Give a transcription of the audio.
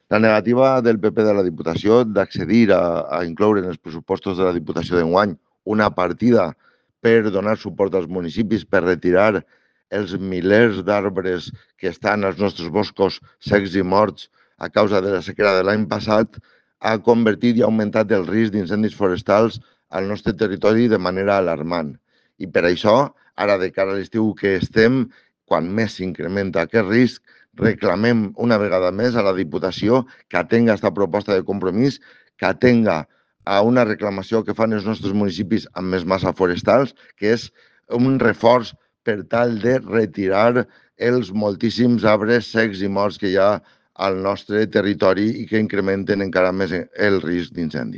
La negativa del PP de la Diputació d'accedir a incloure en els pressupostos de la Diputació d'enguany una partida per donar suport als municipis, per retirar els milers d'arbres que estan als nostres boscos secs i morts a causa de la sequera de l'any passat, ha convertit i ha augmentat el risc d'incendis forestals al nostre territori de manera alarmant. I per això, ara de cara a l'estiu que estem, quan més s'incrementa aquest risc, reclamem una vegada més a la Diputació que atenga aquesta proposta de compromís, que atenga a una reclamació que fan els nostres municipis amb més massa forestals, que és un reforç per tal de retirar els moltíssims arbres secs i morts que hi ha al nostre territori i que incrementen encara més el risc d'incendi.